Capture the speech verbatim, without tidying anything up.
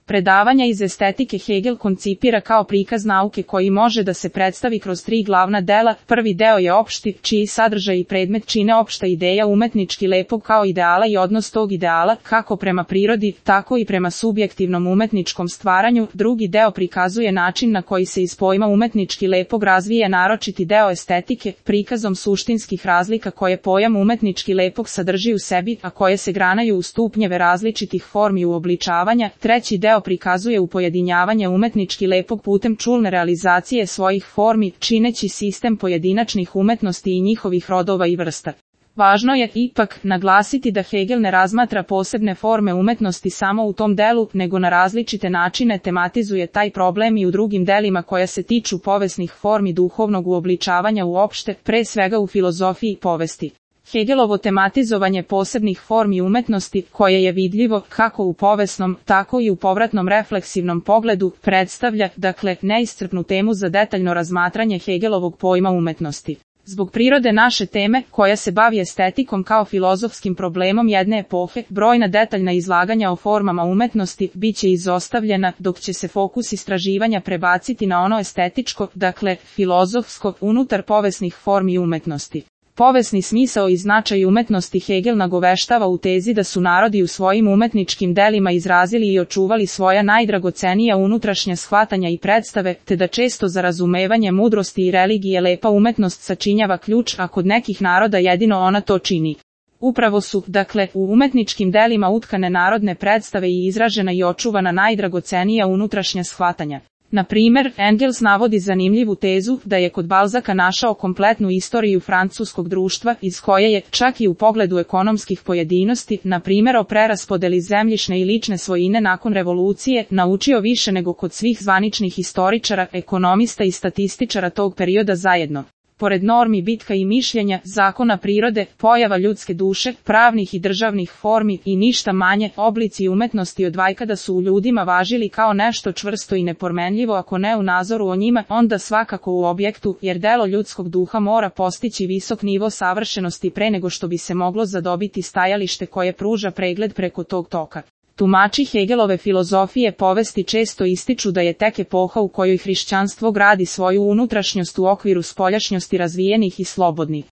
Predavanja iz estetike Hegel koncipira kao prikaz nauke koji može da se predstavi kroz tri glavna dela. Prvi deo je opšti, čiji sadržaj i predmet čine opšta ideja umetnički lepog kao ideala i odnos tog ideala, kako prema prirodi, tako i prema subjektivnom umetničkom stvaranju. Drugi deo prikazuje način na koji se iz pojma umetnički lepog razvija naročiti deo estetike, prikazom suštinskih razlika koje pojam umetnički lepog sadrži u sebi, a koje se granaju u stupnjeve različitih formi uobličavanja. Treći deo prikazuje upojedinjavanje umetnički lepog putem čulne realizacije svojih formi, čineći sistem pojedinačnih umetnosti i njihovih rodova i vrsta. Važno je, ipak, naglasiti da Hegel ne razmatra posebne forme umetnosti samo u tom delu, nego na različite načine tematizuje taj problem i u drugim delima koja se tiču povesnih formi duhovnog uobličavanja uopšte, pre svega u filozofiji povesti. Hegelovo tematizovanje posebnih formi umetnosti, koje je vidljivo kako u povesnom, tako i u povratnom refleksivnom pogledu, predstavlja, dakle, neiscrpnu temu za detaljno razmatranje Hegelovog pojma umetnosti. Zbog prirode naše teme, koja se bavi estetikom kao filozofskim problemom jedne epohe, brojna detaljna izlaganja o formama umetnosti biće izostavljena, dok će se fokus istraživanja prebaciti na ono estetičko, dakle, filozofsko, unutar povesnih formi umetnosti. Povesni smisao i značaj umetnosti Hegel nagoveštava u tezi da su narodi u svojim umetničkim delima izrazili i očuvali svoja najdragocenija unutrašnja shvatanja i predstave, te da često za razumevanje mudrosti i religije lepa umetnost sačinjava ključ, a kod nekih naroda jedino ona to čini. Upravo su, dakle, u umetničkim delima utkane narodne predstave i izražena i očuvana najdragocenija unutrašnja shvatanja. Na primer, Engels navodi zanimljivu tezu da je kod Balzaka našao kompletnu istoriju francuskog društva, iz koje je, čak i u pogledu ekonomskih pojedinosti, na primjer o preraspodeli zemljišne i lične svojine nakon revolucije, naučio više nego kod svih zvaničnih historičara, ekonomista i statističara tog perioda zajedno. Pored normi bitka i mišljenja, zakona prirode, pojava ljudske duše, pravnih i državnih formi i ništa manje, oblici umetnosti od vajkada su u ljudima važili kao nešto čvrsto i nepromenljivo, ako ne u nazoru o njima, onda svakako u objektu, jer delo ljudskog duha mora postići visok nivo savršenosti pre nego što bi se moglo zadobiti stajalište koje pruža pregled preko tog toka. Tumači Hegelove filozofije povesti često ističu da je tek epoha u kojoj hrišćanstvo gradi svoju unutrašnjost u okviru spoljašnjosti razvijenih i slobodnih.